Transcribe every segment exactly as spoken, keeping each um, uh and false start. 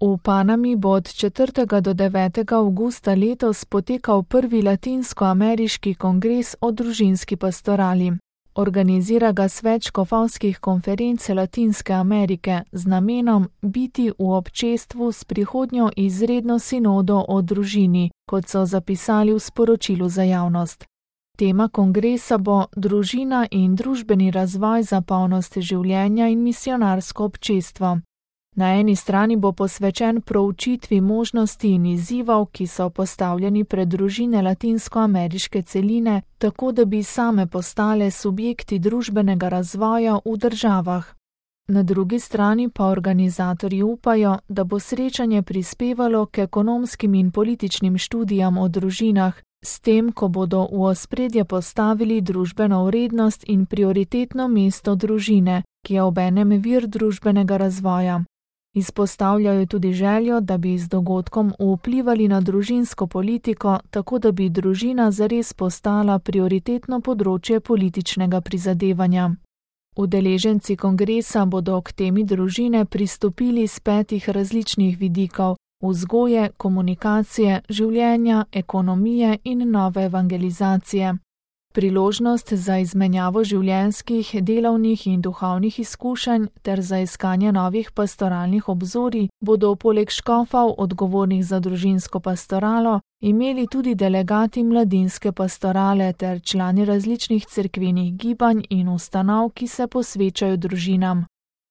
V Panami bo od četrtega do devetega avgusta letos potekal prvi latinskoameriški kongres o družinski pastorali. Organizira ga Svet škofovskih konferenc Latinske Amerike z namenom biti v občestvu s prihodnjo izredno sinodo o družini, kot so zapisali v sporočilu za javnost. Tema kongresa bo družina in družbeni razvoj za polnost življenja in misionarsko občestvo. Na eni strani bo posvečen proučitvi možnosti in izzivov, ki so postavljeni pred družine latinskoameriške celine, tako da bi same postale subjekti družbenega razvoja v državah. Na drugi strani pa organizatorji upajo, da bo srečanje prispevalo k ekonomskim in političnim študijam o družinah, s tem, ko bodo v ospredje postavili družbeno vrednost in prioritetno mesto družine, ki je obenem vir družbenega razvoja. Izpostavljajo tudi željo, da bi z dogodkom vplivali na družinsko politiko, tako da bi družina zares postala prioritetno področje političnega prizadevanja. Udeleženci kongresa bodo k temi družine pristopili z petih različnih vidikov: vzgoje, komunikacije, življenja, ekonomije in nove evangelizacije. Priložnost za izmenjavo življenjskih, delovnih in duhovnih izkušenj ter za iskanje novih pastoralnih obzorij bodo poleg škofov, odgovornih za družinsko pastoralo, imeli tudi delegati mladinske pastorale ter člani različnih cerkvenih gibanj in ustanov, ki se posvečajo družinam.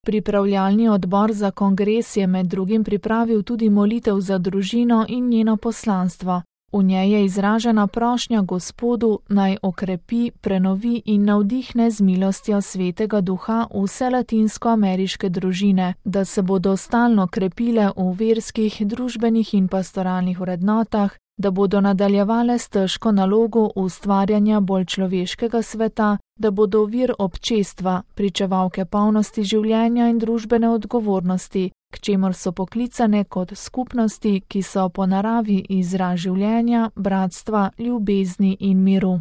Pripravljalni odbor za kongres je med drugim pripravil tudi molitev za družino in njeno poslanstvo. V njej je izražena prošnja Gospodu, naj okrepi, prenovi in navdihne z milostjo Svetega Duha vse latinskoameriške družine, da se bodo stalno krepile v verskih, družbenih in pastoralnih vrednotah, da bodo nadaljevale s težko nalogo ustvarjanja bolj človeškega sveta, da bodo vir občestva, pričevalke polnosti življenja in družbene odgovornosti, k čemur so poklicane kot skupnosti, ki so po naravi izraz življenja, bratstva, ljubezni in miru.